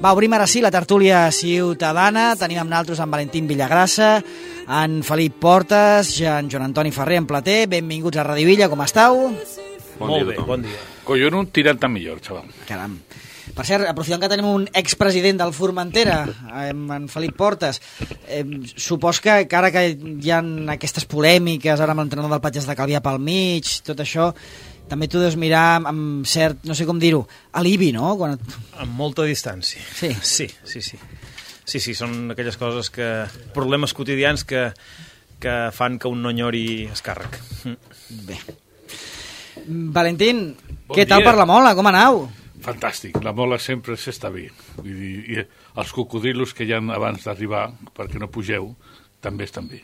Va, obrim ara sí la tertúlia ciutadana. Tenim amb nosaltres en Valentín Villagrasa, en Felip Portes, en Joan Antoni Ferrer, en Plater. Benvinguts a Radio Villa, com estàu? Molt bé, bon dia. Collons, un tirant tan millor, xaval. Caram. Per cert, aprofitant que tenim un expresident del Formentera, en Felip Portes, supos que ara que hi ha aquestes polèmiques, ara amb l'entrenador del Patges de Calvià pel mig, tot això, també tu deus mirar amb cert, no sé com dir-ho, alibi, no? Amb molta distància. Sí? Sí, són aquelles coses problemes quotidians que fan que un no enyori escàrrec. Bé. Valentín, Bon què tal dia. per la Mola? Com anau? Fantàstic, la mola sempre s'està bé. Vull dir, i els cocodrilos que hi ha abans d'arribar, perquè no pugeu, també estan bé.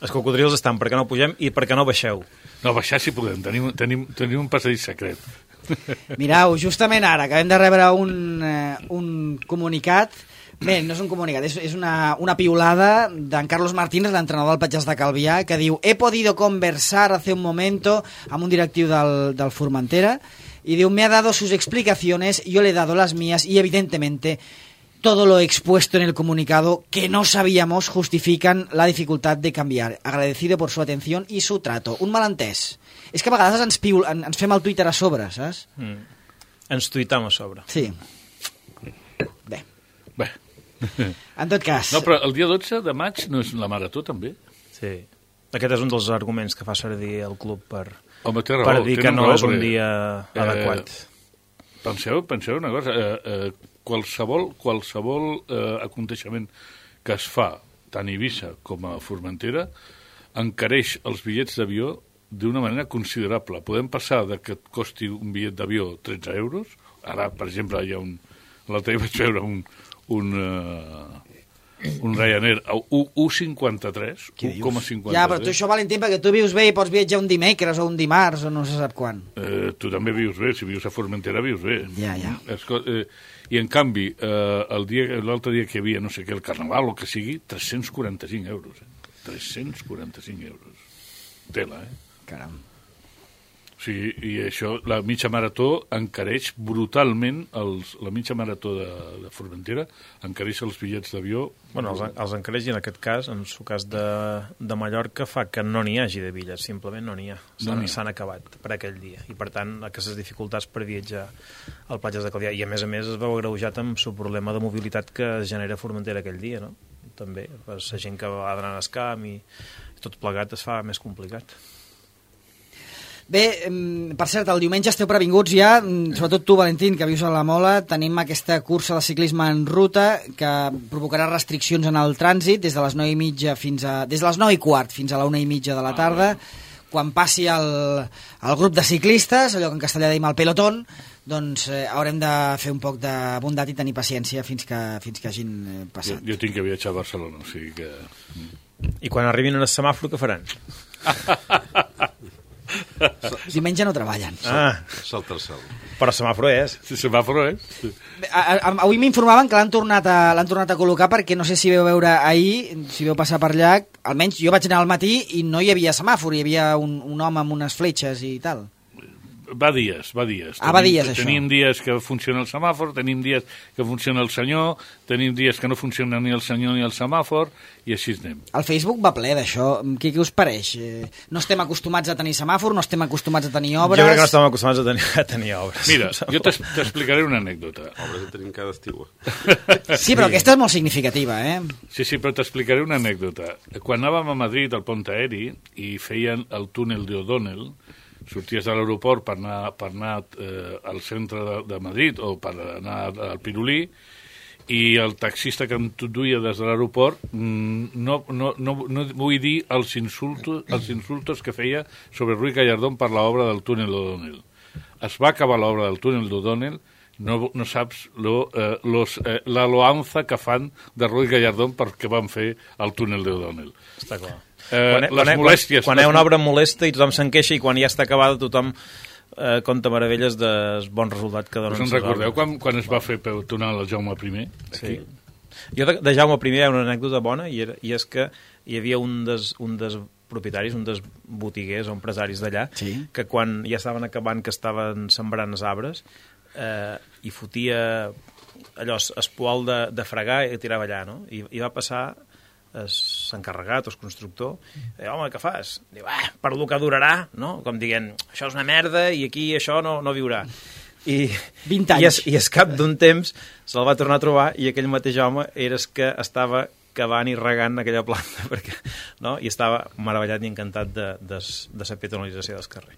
Els cocodrils estan perquè no pugem i perquè no baixeu. No, baixar si podem, tenim un passadís secret. Mirau, justament ara acabem de rebre un comunicat. Bé, no és un comunicat, és una piulada d'en Carlos Martínez, l'entrenador del Patges de Calvià, que diu: he podido conversar hace un momento amb un directiu del Formentera y diu, me ha dado sus explicaciones, yo le he dado las mías y evidentemente todo lo expuesto en el comunicado que no sabíamos justifican la dificultad de cambiar. Agradecido por su atención y su trato. Un malentès. És que a vegades ens fem el Twitter a sobre, saps? Ens tuitam a sobre. Sí. Bé. En tot cas... No, però el dia 12 de maig no és la marató, també? Sí. Aquest és un dels arguments que fa servir el club per dir que tenen no raó, és un perquè, dia adequat. Penseu una cosa, qualsevol aconteixement que es fa tant a Eivissa com a Formentera encareix els bitllets d'avió d'una manera considerable. Podem passar de que et costi un bitllet d'avió 13 euros, ara, per exemple, hi ha l'altre dia vaig veure un Ryanair a 1,53, 1,53. Ja, però tu això, Valentín, perquè tu vius bé i pots viatjar un dimecres o un dimarts o no se sap quan. Tu també vius bé, si vius a Formentera vius bé. Ja. I en canvi, l'altre dia que hi havia, no sé què, el Carnaval o que sigui, 345 euros. 345 euros. Tela, Caram. O sigui, i això, la mitja marató encareix brutalment, la mitja marató de Formentera encareix els bitllets d'avió. Bueno, els encareix i en aquest cas, en el cas de Mallorca, fa que no n'hi hagi de bitllets, simplement no n'hi ha. S'han acabat per aquell dia. I per tant, aquestes dificultats per viatjar al Platges de Calvià. I a més es veu agreujat amb el problema de mobilitat que es genera a Formentera aquell dia, no? També, la gent que va d'anar a Escam i tot plegat es fa més complicat. Bé, per cert, el diumenge esteu previnguts ja, sobretot tu, Valentín, que vius a la Mola. Tenim aquesta cursa de ciclisme en ruta que provocarà restriccions en el trànsit des de les 9:30 des de les 9:15 fins a la 1:30 de la tarda. Quan passi el grup de ciclistes, allò que en castellà dèiem el pelotón, doncs haurem de fer un poc de bondat i tenir paciència fins que hagin passat. Jo tinc que viatjar a Barcelona, o sigui que... I quan arribin al semàfor, què faran? Diumenge no treballen. Salta el cel. Però semàforo és. Sí, semàforo, eh? Avui m'informaven que l'han tornat a col·locar perquè no sé si veu veure ahir, si veu passar per allà, almenys jo vaig anar al matí i no hi havia semàfor, hi havia un home amb unes fletxes i tal. Va dies. Va dies, això. Tenim dies que funciona el semàfor, tenim dies que funciona el senyor, tenim dies que no funciona ni el senyor ni el semàfor, i així anem. El Facebook va ple d'això. Què us pareix? No estem acostumats a tenir semàfor, no estem acostumats a tenir obres... Jo crec que no estem acostumats a tenir obres. Mira, jo t'explicaré una anècdota. Obres en tenim cada estiu. Sí, però aquesta és molt significativa, eh? Sí, però t'explicaré una anècdota. Quan anàvem a Madrid, al pont aeri, i feien el túnel d'O'Donnell, sorties de l'aeroport per anar al centre de Madrid o per anar al Pirulí, i el taxista que em duia des de l'aeroport no vull dir els insultos que feia sobre Ruy Gallardón per l'obra del túnel d'O'Donnell. Es va acabar l'obra del túnel d'O'Donnell, no saps la loanza que fan de Ruy Gallardón perquè van fer el túnel d'O'Donnell. Està clar. Les molèsties... Quan hi ha una obra molesta i tothom se'n queixa, i quan ja està acabada tothom conta meravelles del bon resultat que donen. Us en recordeu quan es va fer peatonal el Jaume I? Sí. Jo de Jaume I hi ha una anècdota bona, i és que hi havia un dels propietaris, un dels botiguers o empresaris d'allà, sí, que quan ja estaven acabant, que estaven sembrant els arbres, i fotia allò, espoal de fregar i tirava allà, no? I va passar s'encarregat, el constructor, home, què fas? Diu, per lo que durarà, no? Com dient, això és una merda i aquí això no viurà. I 20 anys. I es cap d'un temps se'l va tornar a trobar i aquell mateix home era que estava cavant i regant aquella planta, perquè, no? I estava meravellat i encantat de la peatonalització del carrer.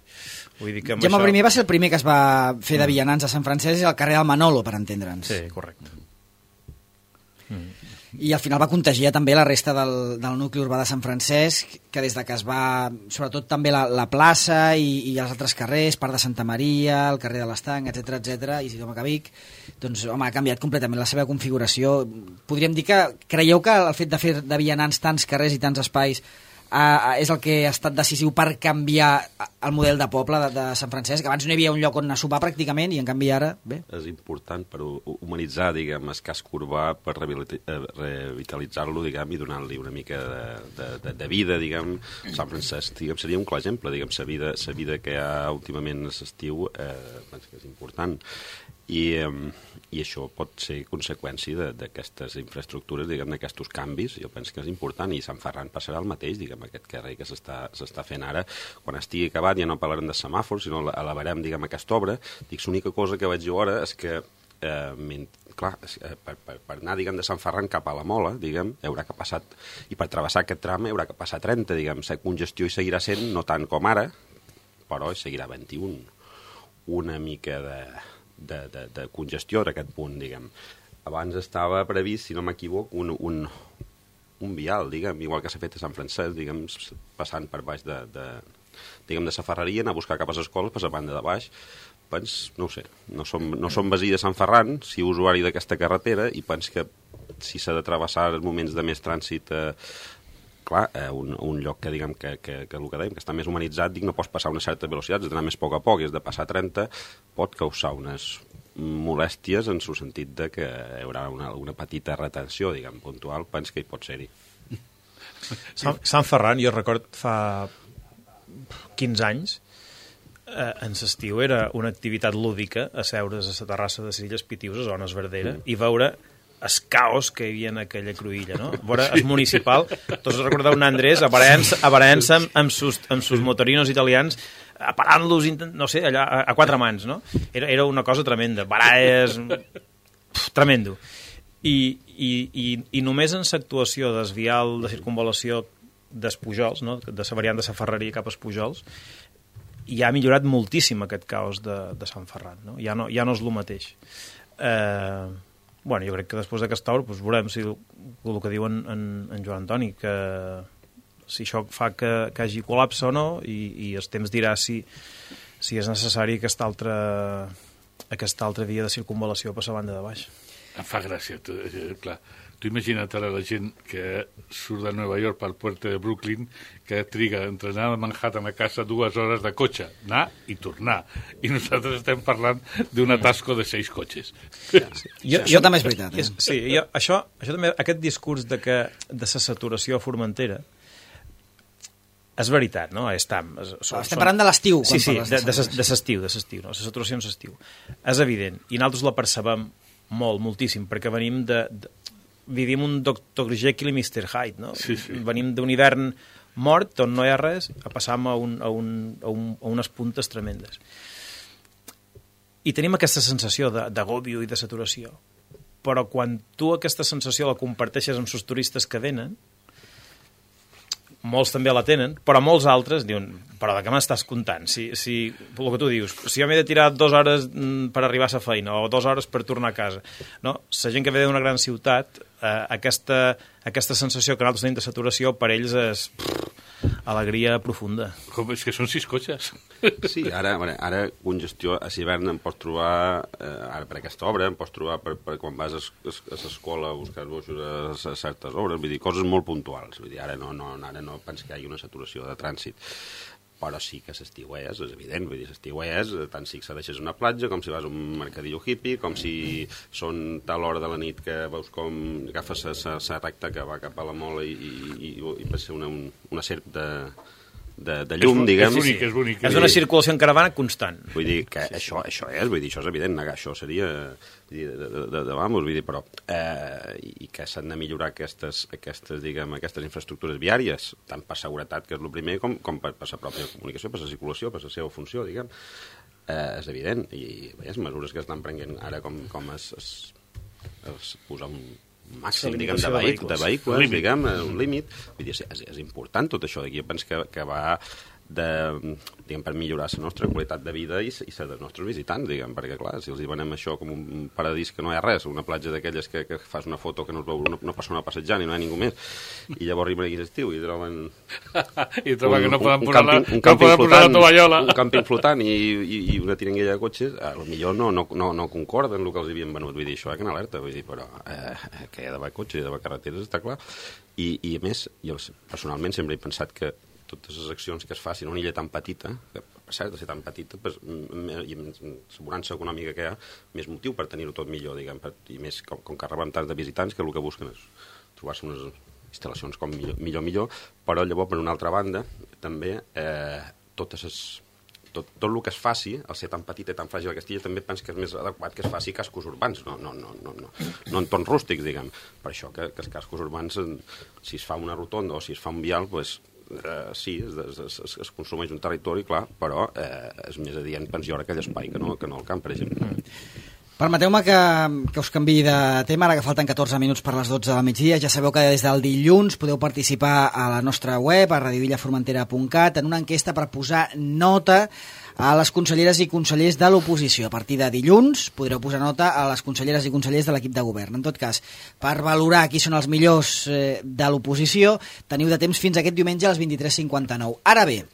Vull dir que Jaume I va ser el primer que es va fer de vianants a Sant Francesc i al carrer del Manolo, per entendre'ns. Sí, correcte. I al final va contagiar també la resta del nucli urbà de Sant Francesc, que des de que es va, sobretot també la plaça i els altres carrers, part de Santa Maria, el carrer de l'Estanc, etc i Isidore Macavic, doncs home, ha canviat completament la seva configuració. Podríem dir que creieu que el fet de fer de vianants tants carrers i tants espais és el que ha estat decisiu per canviar el model de poble de Sant Francesc? Abans no hi havia un lloc on sopar pràcticament i en canvi ara, bé. És important per humanitzar, diguem, el casc urbà, per revitalitzar-lo, diguem, i donar-li una mica de vida, diguem. Sant Francesc, diguem, seria un clar exemple, diguem, la vida que hi ha últimament a l'estiu, penso que és important. I això pot ser conseqüència d'aquestes infraestructures, diguem, d'aquests canvis. Jo penso que és important, i Sant Ferran passarà el mateix, diguem, aquest carrer que s'està fent ara. Quan estigui acabat ja no parlarem de semàfors, sinó elevarem, diguem, aquesta obra. Dic, l'única cosa que veig jo ara és que, clar, per anar, diguem, de Sant Ferran cap a la Mola, diguem, haurà que passar, i per travessar aquest tram haurà que passar 30, diguem, la congestió hi seguirà sent, no tant com ara, però hi seguirà 21. Una mica de congestió d'aquest punt, diguem. Abans estava previst, si no m'equivoc, un vial, diguem, igual que s'ha fet a Sant Francesc, diguem, passant per baix de la Ferreria, anar a buscar cap a l'escola, per la banda de baix. Pens, no ho sé, no som veí de Sant Ferran, si usuari d'aquesta carretera, i pens que si s'ha de travessar els moments de més trànsit, clar, un lloc que, diguem, que el que dèiem, que està més humanitzat, dic, no pots passar una certa velocitat, has d'anar més a poc, i has de passar 30, pot causar unes molèsties en el sentit de que hi haurà una petita retenció, diguem, puntual, penso que hi pot ser-hi. Sant Ferran, jo record fa 15 anys, en l'estiu era una activitat lúdica asseure's a la terrassa de les Illes Pitius, a Zona Esverdera, i veure el caos que hi havia en aquella cruïlla, no? Veure el municipal, tots recordeu un Andrés aparant-se amb sus motorinos italians, parant-los, no sé, allà a 4 mans, no? Era una cosa tremenda, baralles, tremendo. I només en l'actuació desvial de circunvalació dels Pujols, no? De la variant de la Ferreria cap als Pujols, i ha millorat moltíssim aquest caos de Sant Ferran, no? Ja no és el mateix. Bueno, jo crec que després d'aquesta obra doncs veurem si el que diu en Joan Antoni, que si això fa que hagi col·lapse o no, i el temps dirà si és necessari aquesta altra via de circunvalació per la banda de baix. Em fa gràcia, clar. Tu imagina't ara la gent que surt de Nova York pel puerto de Brooklyn, que triga entre anar a Manhattan a casa 2 hores de cotxe, anar i tornar. I nosaltres estem parlant d'un atasco de 6 cotxes. Sí. Jo també és veritat. Sí, això també, aquest discurs de la saturació a Formentera, és veritat, no? Estem parlant de l'estiu. Sí, de l'estiu, no? La saturació en l'estiu. És evident, i nosaltres la percebem moltíssim, perquè vivim un Dr. Jekyll i Mr. Hyde, no? Sí. Venim d'un hivern mort, on no hi ha res, a passar a unes puntes tremendes. I tenim aquesta sensació d'agòbio i de saturació. Però quan tu aquesta sensació la comparteixes amb els turistes que venen, molts també la tenen, però molts altres diuen, però de què m'estàs comptant? Si el que tu dius, si jo m'he de tirar 2 hores per arribar a la feina o 2 hores per tornar a casa, no? La gent que ve d'una gran ciutat, aquesta sensació que nosaltres tenim de saturació per ells és alegria profunda. Com, és que són 6 cotxes. Sí, ara congestió a l'hivern em pots trobar, ara per aquesta obra, em pots trobar per quan vas a l'escola a buscar boixos a certes obres, vull dir, coses molt puntuals. Vull dir, ara no penso que hi hagi una saturació de trànsit. Però sí que l'estiu és evident, vull dir, l'estiu tant si accedeixes a una platja, com si vas a un mercadillo hippie, com si són tal hora de la nit que veus com agafes la recta que va cap a la Mola i pot ser una serp de llum, diguem. És bonic. És una circulació en caravana constant. Vull dir que això és evident, negar això seria vamos, vull dir, però i que s'han de millorar aquestes infraestructures viàries, tant per seguretat, que és el primer, com per la pròpia comunicació, per la circulació, per la seva funció, diguem. És evident, i les mesures que estan prenent ara com es posar un màxim, diguem, de vehicles, diguem, un límit. Vull dir, és important tot això. Jo penso que va diguem, per millorar la nostra qualitat de vida i la dels nostres visitants, diguem, perquè, clar, si els venem això com un paradís que no hi ha res, una platja d'aquelles que fas una foto que no es veu una persona passejant i no hi ha ningú més, i llavors arriben aquí l'estiu i troben... I troben que no poden posar la tovallola. Un càmping flotant i una tiranguella de cotxes, potser no concorden amb el que els havien venut. Vull dir, això que n'alerta, vull dir, però que hi ha d'haver cotxes, hi ha d'haver carreteres, està clar. I a més, jo personalment sempre he pensat que totes les accions que es facin a una illa tan petita, que per cert, de ser tan petita, i amb l'assegurança econòmica que hi ha, més motiu per tenir-ho tot millor, diguem, i més com que reben tants de visitants que el que busquen és trobar-se unes instal·lacions com millor, però llavors, per una altra banda, també tot el que es faci, al ser tan petita i tan fràgil a Castilla, també penso que és més adequat que es faci cascos urbans, no entorns rústics, diguem. Per això que els cascos urbans, si es fa una rotonda o si es fa un vial, doncs sí, es consumeix un territori, clar, però és més adient, penso jo, aquell espai que no el camp, per exemple. Permeteu-me que us canviï de tema, ara que falten 14 minuts per les 12 del migdia. Ja sabeu que des del dilluns podeu participar a la nostra web, a radiovillaformentera.cat, en una enquesta per posar nota a les conselleres i consellers de l'oposició. A partir de dilluns podreu posar nota a les conselleres i consellers de l'equip de govern. En tot cas, per valorar qui són els millors de l'oposició, teniu de temps fins aquest diumenge a les 23:59. Ara bé,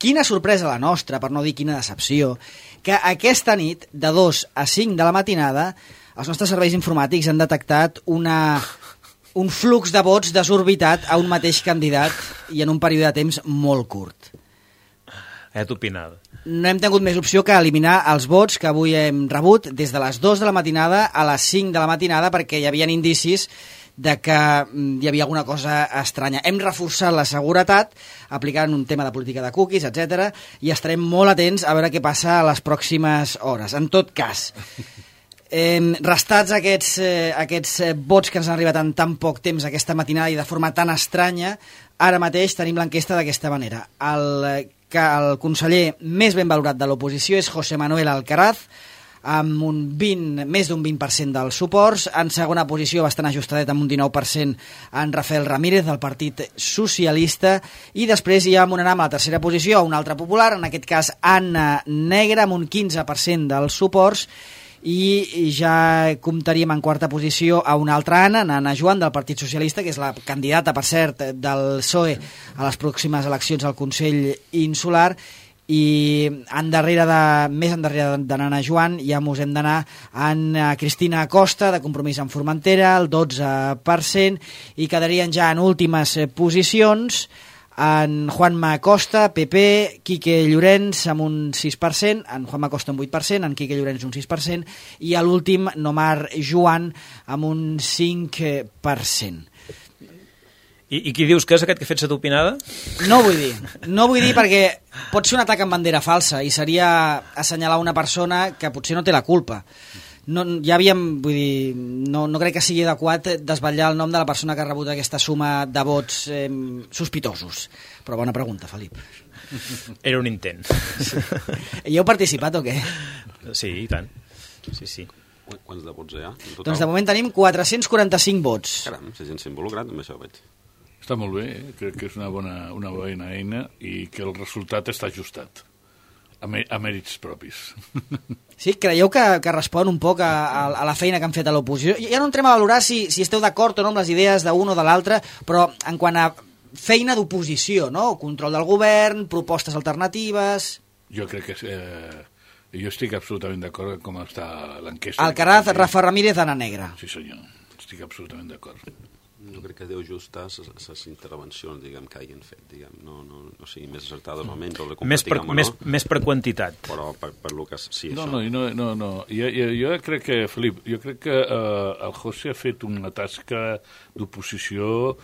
quina sorpresa la nostra, per no dir quina decepció, que aquesta nit, de 2 a 5 de la matinada, els nostres serveis informàtics han detectat un flux de vots desorbitat a un mateix candidat i en un període de temps molt curt. Opinada. No hem tingut més opció que eliminar els vots que avui hem rebut des de les 2 de la matinada a les 5 de la matinada, perquè hi havia indicis de que hi havia alguna cosa estranya. Hem reforçat la seguretat aplicant un tema de política de cookies, etc. i estarem molt atents a veure què passa a les pròximes hores. En tot cas, restats aquests vots que ens han arribat en tan poc temps aquesta matinada i de forma tan estranya, ara mateix tenim l'enquesta d'aquesta manera. El conseller més ben valorat de l'oposició és José Manuel Alcaraz, amb més d'un 20% dels suports. En segona posició, bastant ajustadet, amb un 19%, en Rafael Ramírez, del Partit Socialista. I després hi ha un anam a la tercera posició, a un altre popular, en aquest cas Anna Negra, amb un 15% dels suports. I ja comptaríem en quarta posició a una altra Anna Joan, del Partit Socialista, que és la candidata, per cert, del PSOE a les pròximes eleccions al Consell Insular. I més endarrere d'Anna Joan ja mos hem d'anar en Cristina Acosta, de Compromís en Formentera, el 12%, i quedarien ja en últimes posicions en Juanma Acosta, PP, Quique Llorenç amb un 6%, en Juanma Acosta un 8%, en Quique Llorenç un 6%, i a l'últim Nomar Joan amb un 5%. I qui dius que és aquest que ha fet la topinada? No vull dir perquè pot ser un atac amb bandera falsa i seria assenyalar una persona que potser no té la culpa. No crec que sigui adequat desvetllar el nom de la persona que ha rebut aquesta suma de vots sospitosos. Però bona pregunta, Felip. Era un intent. Sí. Hi heu participat o què? Sí, i tant. Sí. Quants de vots hi ha? Doncs de moment tenim 445 vots. Caram, la gent s'ha involucrat amb això, veig. Està molt bé, crec que és una bona eina i que el resultat està ajustat a mèrits propis. Sí, creieu que respon un poc a la feina que han fet a l'oposició? Ja no entrem a valorar si esteu d'acord o no amb les idees d'un o de l'altre, però en quant a feina d'oposició, no? Control del govern, propostes alternatives... Jo crec que jo estic absolutament d'acord com està l'enquesta. Alcaraz, Rafa Ramírez, Anna Negra. Sí, senyor, estic absolutament d'acord. Jo crec que deu ajustar les intervencions, diguem, que hagin fet, diguem, no sigui més acertades o menys, o de competir amb o no. Més per quantitat. Però per lo que sí, no, això. No. Jo crec que, Felip, el José ha fet una tasca d'oposició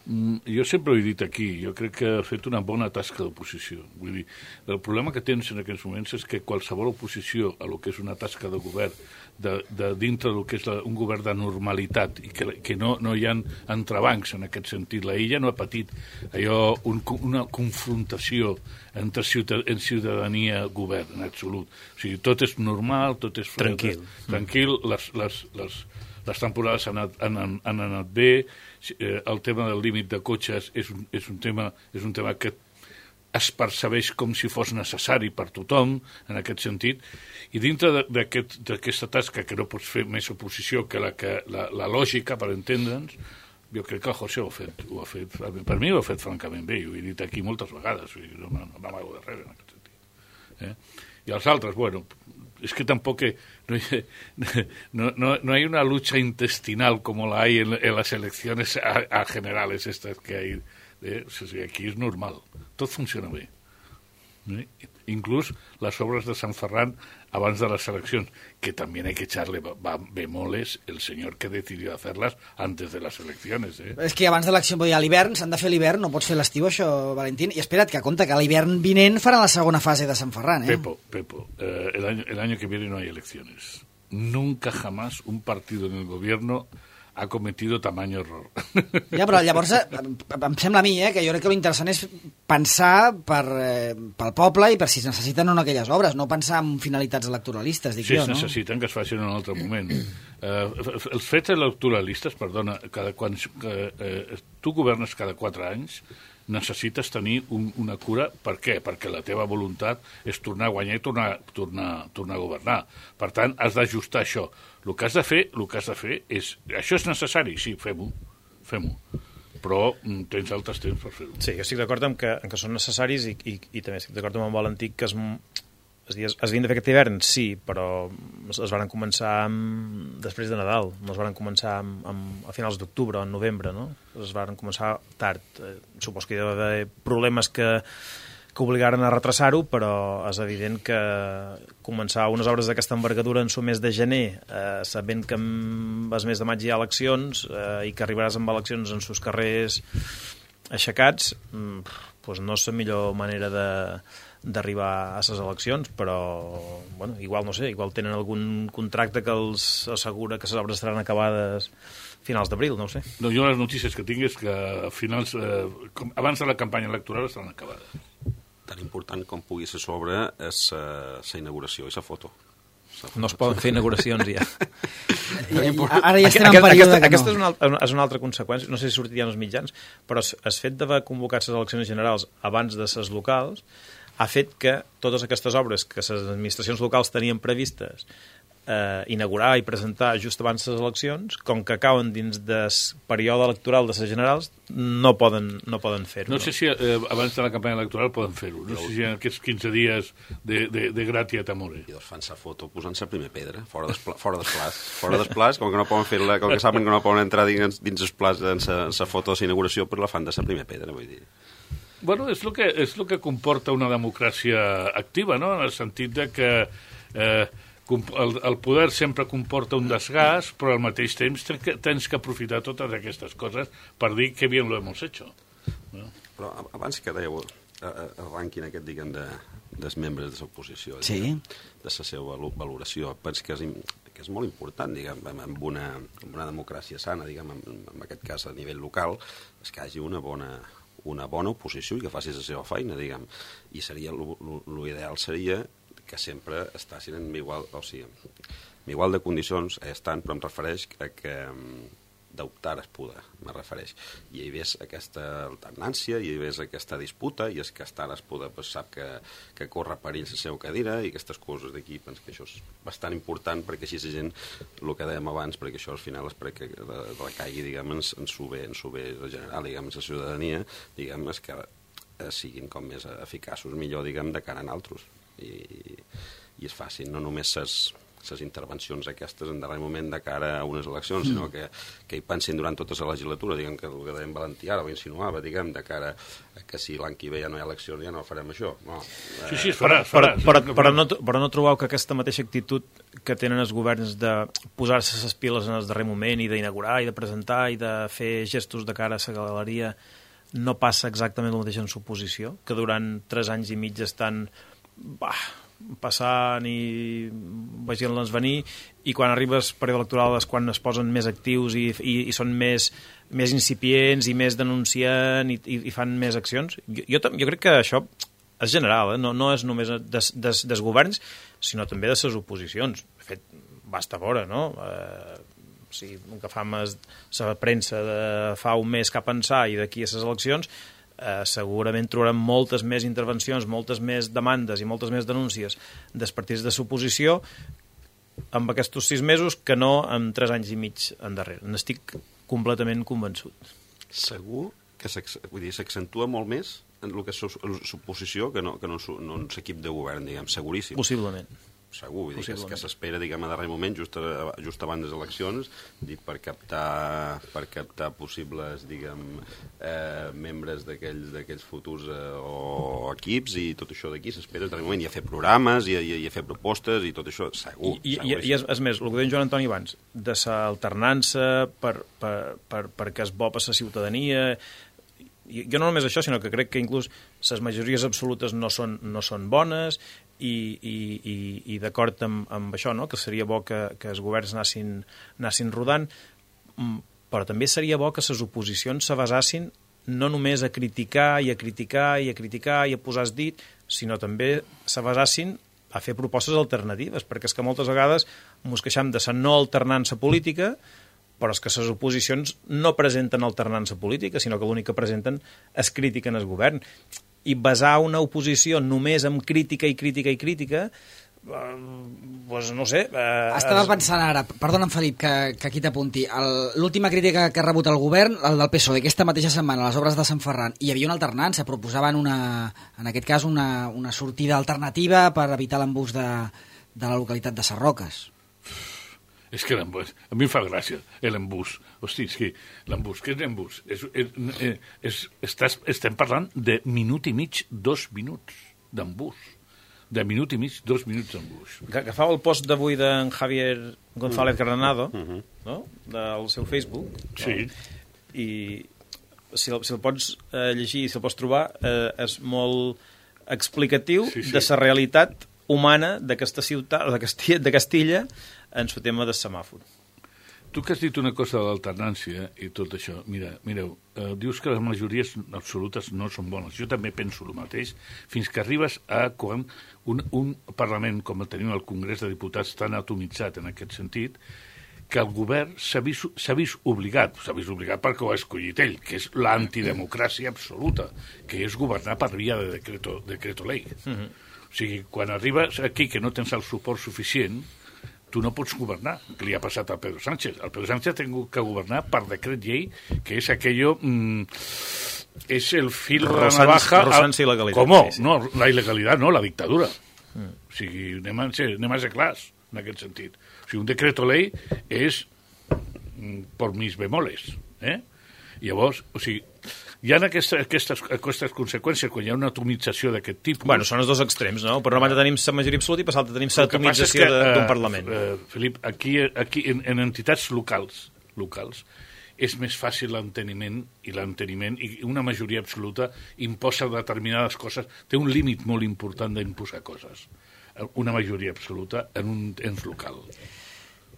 Jo sempre ho he dit aquí, jo crec que ha fet una bona tasca d'oposició. Vull dir, el problema que tens en aquests moments és que qualsevol oposició a lo que és una tasca de govern, de dintre del que és un govern de normalitat i que no hi ha entrebancs en aquest sentit. La illa no ha patit allò, una confrontació entre ciutadania-govern, en absolut. O sigui, tot és normal, tot és... Tranquil, les temporades han anat bé, el tema del límit de cotxes és un tema que es percebeix com si fos necessari per tothom, en aquest sentit, i dintre d'aquesta tasca que no pots fer més oposició que la lògica, per entendre'ns, jo crec que el José ho ha fet, per mi ho ha fet francament bé, ho he dit aquí moltes vegades, no m'amago de res en aquest sentit. I els altres, bueno, es que tampoco no hay una lucha intestinal como la hay en las elecciones a generales estas que hay. O sigui, aquí és normal, tot funciona bé. Inclús les obres de Sant Ferran abans de les eleccions, que també hay que echarle bemoles el senyor que decidió hacerlas antes de las elecciones. És que abans de l'acció, vull dir, a l'hivern, s'han de fer l'hivern, no pots fer l'estiu, això, Valentín. I espera't, que compta que a l'hivern vinent faran la segona fase de Sant Ferran, Pepo, el año que viene no hay elecciones. Nunca jamás un partido en el gobierno ha cometido tamaño error. Ja, però llavors em sembla a mi que jo crec que l'interessant és pensar pel poble i per si es necessiten o no aquelles obres, no pensar en finalitats electoralistes, dic jo, no? Si es necessiten, que es facin en un altre moment. Els fets electoralistes, perdona, tu governes cada 4 anys, necessites tenir una cura. Per què? Perquè la teva voluntat és tornar a guanyar i tornar a governar. Per tant, has d'ajustar això. El que has de fer és... Això és necessari? Sí, fem-ho. Però tens altres temps per fer-ho. Sí, jo estic d'acord en que són necessaris i també estic d'acord amb en Valentí que es havien de fer aquest hivern, sí, però es van començar després de Nadal, no es van començar a finals d'octubre o en novembre, no? Es van començar tard. Supos que hi va haver problemes que obligaren a retrasar-ho, però és evident que començar unes obres d'aquesta envergadura en el mes de gener, sabent que en el mes de maig hi ha eleccions i que arribaràs amb eleccions en sus carrers aixecats, doncs no és la millor manera d'arribar a les eleccions, però bueno, igual no sé, igual tenen algun contracte que els assegura que les obres estaran acabades finals d'abril, no ho sé. No, jo les notícies que tinc és que abans de la campanya electoral estaran acabades. Tan important com pugui ser sobre és la inauguració i la foto. No es poden fer inauguracions ja. Ara ja estem en període que no. Aquesta és una altra conseqüència, no sé si sortiran els mitjans, però el fet d'haver convocat les eleccions generals abans de les locals ha fet que totes aquestes obres que les administracions locals tenien previstes inaugurar i presentar just abans de les eleccions, com que cauen dins del període electoral de les generals, no poden fer-ho. No sé si abans de la campanya electoral poden fer-ho. No sé si en aquests 15 dies de gratia t'amore. I doncs fan sa foto posant sa primer pedra, fora del plaç, com que no poden fer-la, com que saben que no poden entrar dins el plaç en sa foto de s'inauguració, però la fan de sa primer pedra, vull dir. Bueno, és el que comporta una democràcia activa, no? En el sentit de que el poder sempre comporta un desgast, però al mateix temps tens que aprofitar totes aquestes coses per dir que bien lo hemos hecho. No? Però abans que dèieu el rànquing aquest, diguem, dels membres de l'oposició, sí, de la seva valoració, penso que és molt important, diguem, en una democràcia sana, diguem, en aquest cas a nivell local, és que hi hagi una bona oposició i que faci la seva feina, diguem. I seria, l'ideal seria que sempre estassin en igual de condicions, estan, però em refereix a que d'optar es poder, me refereix. I hi ves aquesta alternància, i hi ves aquesta disputa, i és que estar es poder pues, sap que corre perill la seva cadira, i aquestes coses d'aquí, penso que això és bastant important, perquè així la gent, el que dèiem abans, perquè això al final és perquè recaigui, diguem, en su bé general, diguem, en la ciutadania, diguem, és que siguin com més eficaços, millor, diguem, de cara a altres. I és fàcil, no només les intervencions aquestes en darrer moment de cara a unes eleccions, sinó que hi pensin durant tota la legislatura, diguem que el que dèiem Valentí ara ho insinuava, diguem, de cara a que si l'any que ve ja no hi ha eleccions ja no farem això. No, sí, es farà. Però no trobeu que aquesta mateixa actitud que tenen els governs de posar-se les piles en el darrer moment i d'inaugurar i de presentar i de fer gestos de cara a la galeria no passa exactament el mateix en suposició, que durant 3 anys i mig estan passant i veient-les venir, i quan arribes període electoral és quan es posen més actius i són més incipients i més denunciant i fan més accions. Jo crec que això és general, no és només dels governs, sinó també de les oposicions. De fet, basta veure, no? Si agafam la premsa de fa un mes cap ençà i d'aquí a les eleccions, segurament trobarem moltes més intervencions, moltes més demandes i moltes més denúncies dels partits de l'oposició amb aquests 6 mesos que no amb 3 anys i mig endarrere. N'estic completament convençut. Segur que s'accentua molt més en el que és l'oposició que no en l'equip de govern, diguem, seguríssim. Possiblement. Segur, vull dir que s'espera, diguem, a darrer moment, just abans les eleccions, per captar possibles, diguem, membres d'aquells futurs o equips, i tot això d'aquí s'espera a darrer moment, i a fer programes, i a fer propostes, i tot això, segur. I és més, el que deia Joan Antoni abans, de l'alternança perquè és bo per la ciutadania. Jo no només això, sinó que crec que inclús les majories absolutes no són bones, i d'acord amb això, no? Que seria bo que els governs anessin rodant, però també seria bo que les oposicions se basassin no només a criticar i a criticar i a criticar i a posar el dit, sinó també se basassin a fer propostes alternatives, perquè és que moltes vegades ens queixem de la no alternança política, però és que les oposicions no presenten alternança política, sinó que l'únic que presenten és crítica en el govern. I basar una oposició només en crítica i crítica i crítica, doncs no sé... Estava pensant ara, perdona'm Felip, que aquí t'apunti, l'última crítica que ha rebut el govern, el del PSOE, aquesta mateixa setmana, les obres de Sant Ferran, hi havia una alternança, proposaven en aquest cas una sortida alternativa per evitar l'embús de la localitat de Sarroques. És que l'embús, a mi em fa gràcia, l'embús. Hosti, és que l'embús, què és l'embús? Estem parlant de minut i mig, 2 minuts d'embús. De minut i mig, 2 minuts d'embús. Agafava el post d'avui d'en Javier González Granado, no? Del seu Facebook. Sí. I si el pots llegir, si el pots trobar, és molt explicatiu de la realitat humana d'aquesta ciutat, de Castilla, en el tema del semàfor. Tu que has dit una cosa de l'alternància i tot això, mireu, dius que les majories absolutes no són bones. Jo també penso el mateix, fins que arribes a quan un Parlament com el tenim al Congrés de Diputats tan atomitzat en aquest sentit, que el govern s'ha vist obligat perquè ho ha escollit ell, que és l'antidemocràcia absoluta, que és governar per via de decreto ley. O sigui, quan arribes aquí que no tens el suport suficient, tu no pots governar, que li ha passat al Pedro Sánchez. El Pedro Sánchez ha tingut que governar per decret llei, que és aquello... és el fil de la navaja... Rossant-se il·legalitat. Com? Sí. No, la il·legalitat no, la dictadura. O sigui, anem a ser clars, en aquest sentit. O sigui, un decreto ley és por mis bemoles, Llavors, o sigui, hi ha aquestes conseqüències quan hi ha una atomització d'aquest tipus. Bueno, són els dos extrems, no? Per una banda tenim la majoria absoluta i per l'altra tenim l'atomització d'un Parlament. Felip, aquí en entitats locals és més fàcil l'enteniment i una majoria absoluta imposa determinades coses. Té un límit molt important d'imposar coses. Una majoria absoluta en un ens local.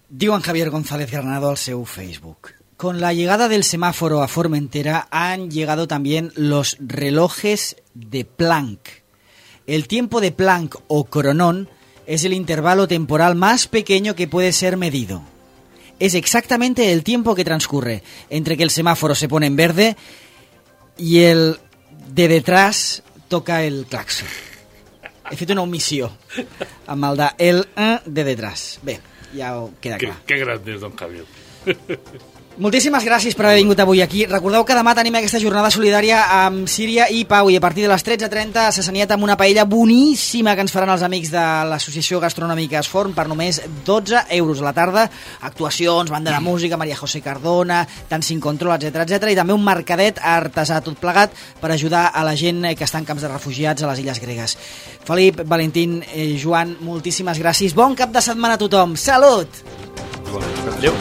Diu en Javier González Granado al seu Facebook: con la llegada del semáforo a Formentera han llegado también los relojes de Planck. El tiempo de Planck o cronón es el intervalo temporal más pequeño que puede ser medido. Es exactamente el tiempo que transcurre entre que el semáforo se pone en verde y el de detrás toca el claxon. He fet una omissió amb el de el de detrás. Bé, ja ho queda clar. Que gran és, don Javier. Moltíssimes gràcies per haver vingut avui aquí. Recordeu que demà tenim aquesta jornada solidària amb Síria i Pau i a partir de les 13:30 s'ha assenyat amb una paella boníssima que ens faran els amics de l'Associació Gastronòmica Esforn per només 12 euros a la tarda. Actuacions, banda de música, Maria José Cardona, Dancing Control, etc i també un mercadet artesà tot plegat per ajudar a la gent que està en camps de refugiats a les illes gregues. Felip, Valentín, Joan, moltíssimes gràcies. Bon cap de setmana a tothom. Salut! Adéu.